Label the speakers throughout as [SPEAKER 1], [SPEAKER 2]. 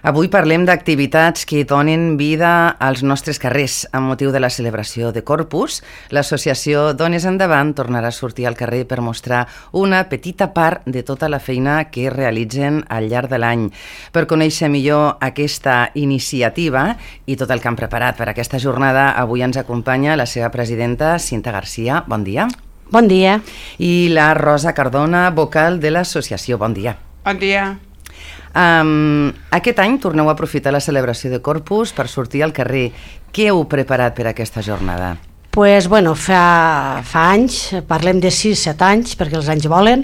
[SPEAKER 1] Avui parlem d'activitats que donen vida als nostres carrers. Amb motiu de la celebració de Corpus, l'associació Dones Endavant tornarà a sortir al carrer per mostrar una petita part de tota la feina que realitzen al llarg de l'any. Per conèixer millor aquesta iniciativa i tot el que han preparat per aquesta jornada, avui ens acompanya la seva presidenta, Cinta Garcia. Bon dia.
[SPEAKER 2] Bon dia.
[SPEAKER 1] I la Rosa Cardona, vocal de l'associació. Bon dia.
[SPEAKER 3] Bon dia.
[SPEAKER 1] Aquest any torneu a aprofitar la celebració de Corpus per sortir al carrer. Què heu preparat per aquesta jornada?
[SPEAKER 2] Pues, bueno, fa anys, parlem de 6-7 anys, perquè els anys volen,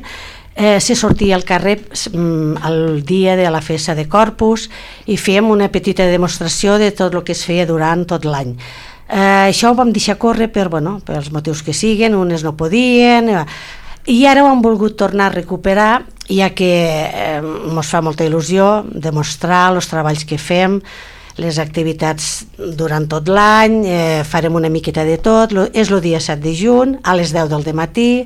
[SPEAKER 2] se sortia al carrer el dia de la festa de Corpus i fèiem una petita demostració de tot el que es feia durant tot l'any. Això ho vam deixar córrer pels motius que siguen, unes no podien, i ara ho hem volgut tornar a recuperar, ja que ens fa molta il·lusió demostrar els treballs que fem, les activitats durant tot l'any, farem una miqueta de tot. És el dia 7 de juny, a les 10 del matí,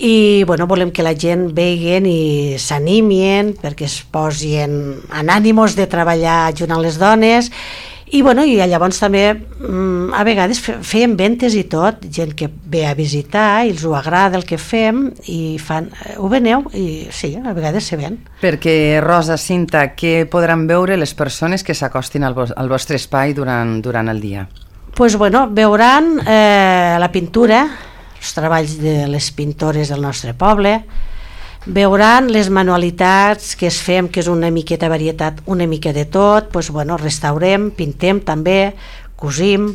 [SPEAKER 2] i volem que la gent vegin i s'animin perquè es posin en ànimos de treballar junt amb les dones. I llavors també a vegades fèiem ventes i tot, gent que ve a visitar i els ho agrada el que fem i fan, ho veneu? I sí, a vegades se ven.
[SPEAKER 1] Perquè, Rosa, Cinta, què podran veure les persones que s'acostin al vostre espai durant el dia?
[SPEAKER 2] Doncs veuran la pintura, els treballs de les pintores del nostre poble, veuran les manualitats que es fem, que és una miqueta varietat, una mica de tot, restaurem, pintem també, cosim.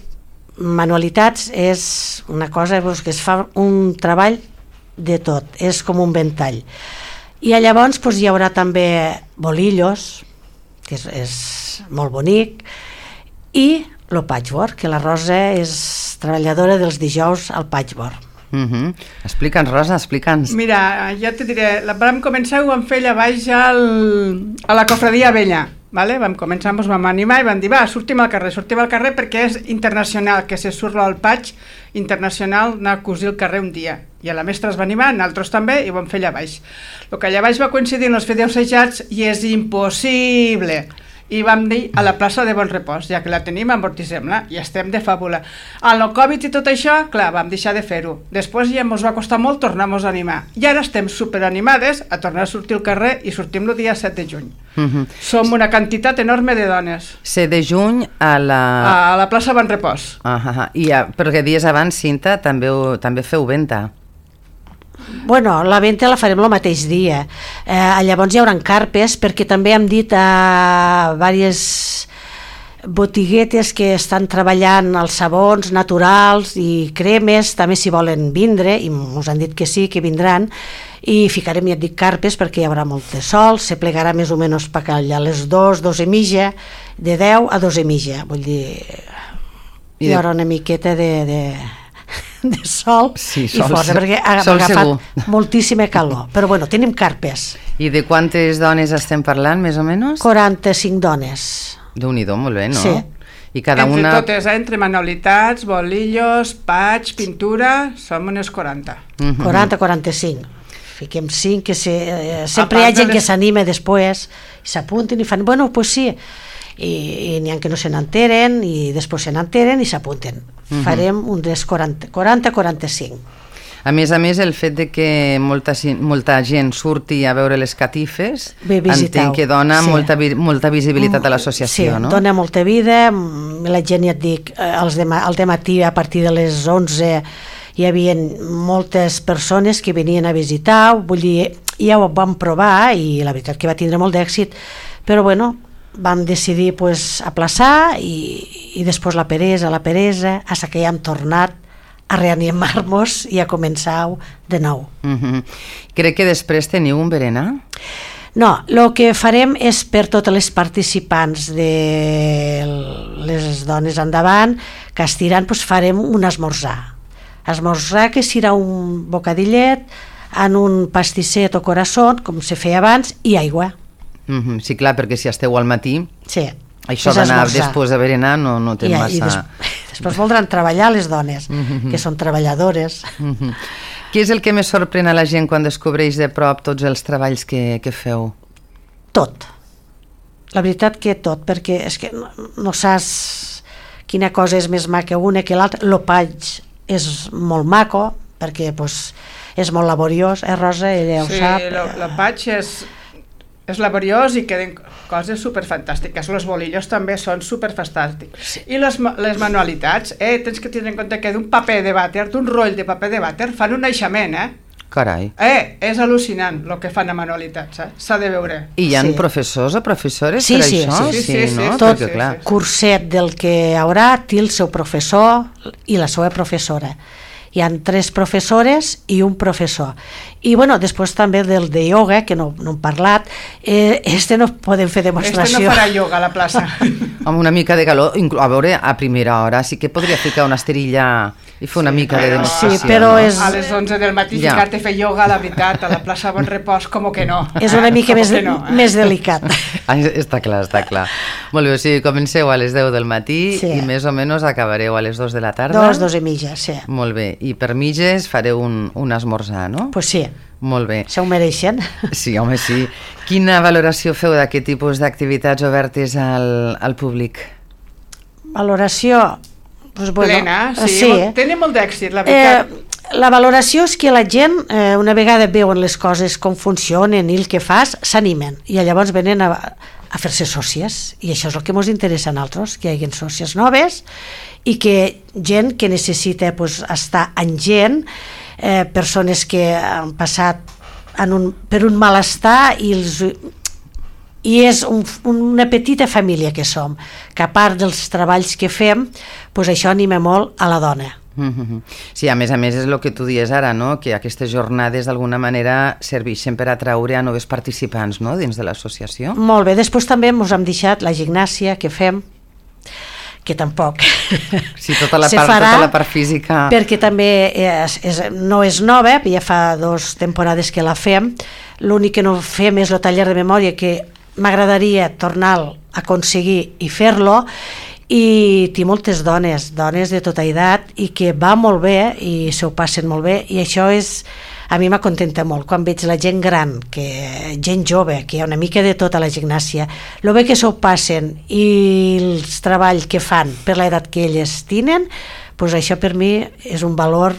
[SPEAKER 2] Manualitats és una cosa que es fa un treball de tot, és com un ventall. I llavors hi haurà també bolillos, que és molt bonic, i el patchwork, que la Rosa és treballadora dels dijous al patchwork.
[SPEAKER 1] Explica'ns, Rosa, explica'ns.
[SPEAKER 3] Mira, ja te diré, vam començar, ho vam fer allà baix a la cofradia vella, vale? Vam començar, ens vam animar i vam dir, sortim al carrer perquè és internacional, que se surt al patch internacional, anar a cosir al carrer un dia. I a la mestra es va animar, nosaltres també, i ho vam fer allà baix. El que allà baix va coincidir en els videoassajats i és impossible. I vam dir a la plaça de Bon Repòs, ja que la tenim, amortitzem-la i estem de fàbula. Amb el Covid i tot això, clar, vam deixar de fer-ho. Després ja ens va costar molt tornar-nos a animar. I ara estem superanimades a tornar a sortir al carrer i sortim el dia 7 de juny. Som una quantitat enorme de dones.
[SPEAKER 1] 7 de juny a
[SPEAKER 3] la plaça Bon Repòs.
[SPEAKER 1] Perquè dies abans, Cinta, també feu venda.
[SPEAKER 2] La venda la farem el mateix dia. Llavors hi haurà carpes, perquè també hem dit a diverses botiguetes que estan treballant els sabons naturals i cremes, també s'hi volen vindre, i ens han dit que sí, que vindran, i ficarem, ja et dic, carpes, perquè hi haurà molt de sol, se plegarà més o menys per allà a les 2 i mitja, de 10 a 2 i mitja, vull dir, hi haurà una miqueta de sol,
[SPEAKER 1] sí,
[SPEAKER 2] i força, perquè ha agafat moltíssima calor. Però tenim carpes.
[SPEAKER 1] I de quantes dones estem parlant, més o menys?
[SPEAKER 2] 45 dones.
[SPEAKER 1] Déu-n'hi-do, molt bé, no?
[SPEAKER 2] Sí.
[SPEAKER 1] I cada
[SPEAKER 3] entre
[SPEAKER 1] una...
[SPEAKER 3] totes, entre manualitats, bolillos, patch, pintura, som unes 40.
[SPEAKER 2] 40-45. Fiquem 5, que sempre hi ha gent que s'anima després, s'apunten i fan, pues sí, i n'hi ha que no se n'enteren i després se n'enteren i s'apunten. Farem uns 40-45.
[SPEAKER 1] A més, el fet de que molta gent surti a veure les catifes, entenc que dona molta visibilitat a l'associació, no?
[SPEAKER 2] Sí, dona molta vida. La gent, ja et dic, al dematí, a partir de les 11, hi havia moltes persones que venien a visitar, vull dir, ja ho vam provar i la veritat que va tindre molt d'èxit, però vam decidir aplaçar i després la peresa, fins que ja hem tornat a reanimar-nos i a començar de nou.
[SPEAKER 1] Crec que després teniu un berenar?
[SPEAKER 2] No, el que farem és per totes les participants de les dones endavant que estiran, farem un esmorzar. Esmorzar que serà un bocadillet en un pastisset o corazón, com se feia abans, i aigua.
[SPEAKER 1] Sí, clar, perquè si esteu al matí,
[SPEAKER 2] sí,
[SPEAKER 1] això d'anar després de berenar no té massa...
[SPEAKER 2] Després voldran treballar les dones, que són treballadores.
[SPEAKER 1] Què és el que més sorprèn a la gent quan descobreix de prop tots els treballs que feu?
[SPEAKER 2] Tot. la veritat que tot, perquè és que no saps quina cosa és més maca una que l'altra. El patx és molt maco, perquè pues, és molt laboriós, Rosa? Ella ho sap.
[SPEAKER 3] Sí, el patx és laboriós i queden coses superfantàstiques. Els bolillos també són superfantàstics. Sí. I les manualitats, tens que tenir en compte que d'un paper de vàter, d'un roll de paper de vàter, fan un naixement,
[SPEAKER 1] Carai.
[SPEAKER 3] És al·lucinant el que fan a manualitats, s'ha de veure.
[SPEAKER 1] I hi ha professors o professores
[SPEAKER 2] per
[SPEAKER 1] això?
[SPEAKER 3] Sí,
[SPEAKER 1] no?
[SPEAKER 2] Tot
[SPEAKER 1] clar.
[SPEAKER 2] curset del que hi haurà té el seu professor i la seva professora. Hi han 3 professores i un professor. I bueno, després també del de ioga, que no hem parlat, no podem fer demostració.
[SPEAKER 3] No farà ioga a la plaça.
[SPEAKER 1] Amb una mica de calor, a veure, a primera hora sí que podria ficar una esterilla i fer una mica de demostració.
[SPEAKER 2] Sí, però és...
[SPEAKER 3] A les 11 del matí ficar-te a fer ioga, la veritat, a la plaça Bon Repòs, com que no.
[SPEAKER 2] És una mica més delicat.
[SPEAKER 1] Està clar. Molt bé, o sigui, comenceu a les 10 del matí i més o menys acabareu a les 2 de la tarda.
[SPEAKER 2] 2 i mitja, sí.
[SPEAKER 1] Molt bé, i per mitges fareu un esmorzar, no?
[SPEAKER 2] Pues sí.
[SPEAKER 1] Molt bé.
[SPEAKER 2] Se ho mereixen.
[SPEAKER 1] Sí, home, sí. Quina valoració feu d'aquest tipus d'activitats obertes al públic?
[SPEAKER 2] Valoració... Pues bueno,
[SPEAKER 3] plena, sí. Tenen molt d'èxit, la veritat.
[SPEAKER 2] La valoració és que la gent, una vegada veuen les coses com funcionen i el que fas, s'animen. I llavors venen a fer-se sòcies. I això és el que ens interessa a nosaltres, que hi hagi sòcies noves i que gent que necessita estar amb gent, persones que han passat per un malestar i és una petita família que som, que a part dels treballs que fem, això anima molt a la dona.
[SPEAKER 1] Sí, a més és el que tu dies ara, no? Que aquestes jornades d'alguna manera serveixen per atraure a noves participants, no? Dins de l'associació.
[SPEAKER 2] Molt bé, després també ens hem deixat la gimnàsia que fem, que tampoc
[SPEAKER 1] sí, tota la part física,
[SPEAKER 2] perquè també no és nova, ja fa 2 temporades que la fem. L'únic que no fem és el taller de memòria, que m'agradaria tornar a aconseguir i fer-lo, i té moltes dones de tota edat i que va molt bé i s'ho passen molt bé, i això a mi m'acontenta molt quan veig la gent gran, gent jove, que hi ha una mica de tota la gimnàsia, el bé que s'ho passen i els treballs que fan per l'edat que elles tenen, això per mi és un valor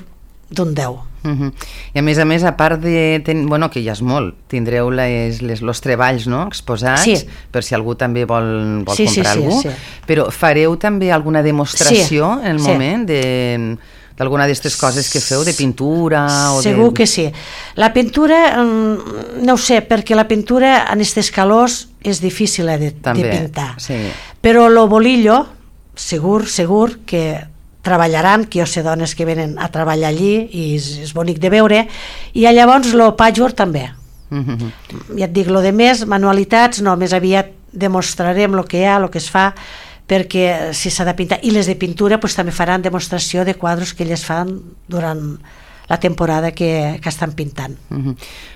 [SPEAKER 2] d'un 10.
[SPEAKER 1] I a més, a part de... que ja és molt, tindreu els treballs, no?, exposats, per si algú també vol comprar algú, però fareu també alguna demostració en el moment d'alguna d'aquestes coses que feu, de pintura?
[SPEAKER 2] Segur que sí. La pintura, no ho sé, perquè la pintura en aquestes calors és difícil de pintar, però el bolillo, segur que treballaran, que jo sé dones que venen a treballar allí i és bonic de veure, i llavors el patchwork també. Ja et dic, el de més, manualitats, no, més aviat demostrarem el que hi ha, el que es fa, perquè si s'ha de pintar, i les de pintura també faran demostració de quadros que elles fan durant la temporada que estan pintant.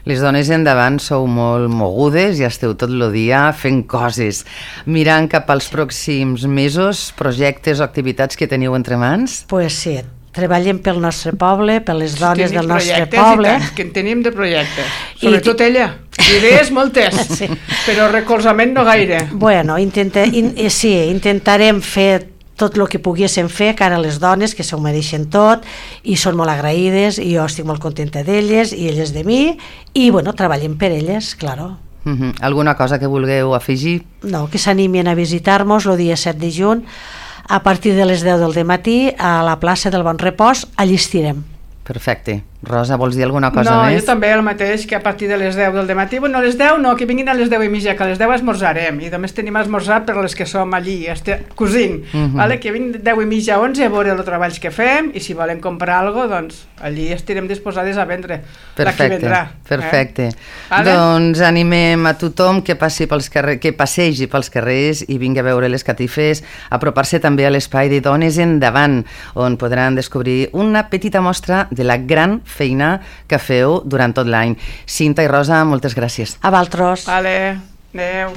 [SPEAKER 1] Les dones endavant sou molt mogudes i esteu tot el dia fent coses. Mirant cap als pròxims mesos, projectes o activitats que teniu entre mans?
[SPEAKER 2] Pues sí, treballem pel nostre poble, per les dones del nostre poble.
[SPEAKER 3] Que en tenim de projectes, sobretot ella. Idees moltes, però recolzament no gaire.
[SPEAKER 2] Bueno, intentarem fer tot el que poguéssim fer cara a les dones, que s'ho mereixen tot i són molt agraïdes, i jo estic molt contenta d'elles i elles de mi, i bueno, treballem per elles, claro.
[SPEAKER 1] Alguna cosa que vulgueu afegir?
[SPEAKER 2] No, que s'animin a visitar-nos el dia 7 de juny a partir de les 10 del matí a la plaça del Bon Repòs. Allí estirem.
[SPEAKER 1] Perfecte. Rosa, vols dir alguna cosa més?
[SPEAKER 3] No, jo també el mateix, que a partir de les 10 del matí, bueno, a les 10 no, que vinguin a les 10 i mitja, que a les 10 esmorzarem, i només tenim esmorzar per les que som allí, cosint, que vinguin 10 i mitja a 11 a veure els treballs que fem, i si volen comprar alguna cosa, doncs allí estirem disposades a vendre.
[SPEAKER 1] Perfecte. Doncs animem a tothom que passegi pels carrers i vingui a veure les catifes, apropar-se també a l'espai de Dones Endavant, on podran descobrir una petita mostra de la gran feina que feu durant tot l'any. Cinta i Rosa, moltes gràcies.
[SPEAKER 2] A vosaltres.
[SPEAKER 3] Vale, adeu.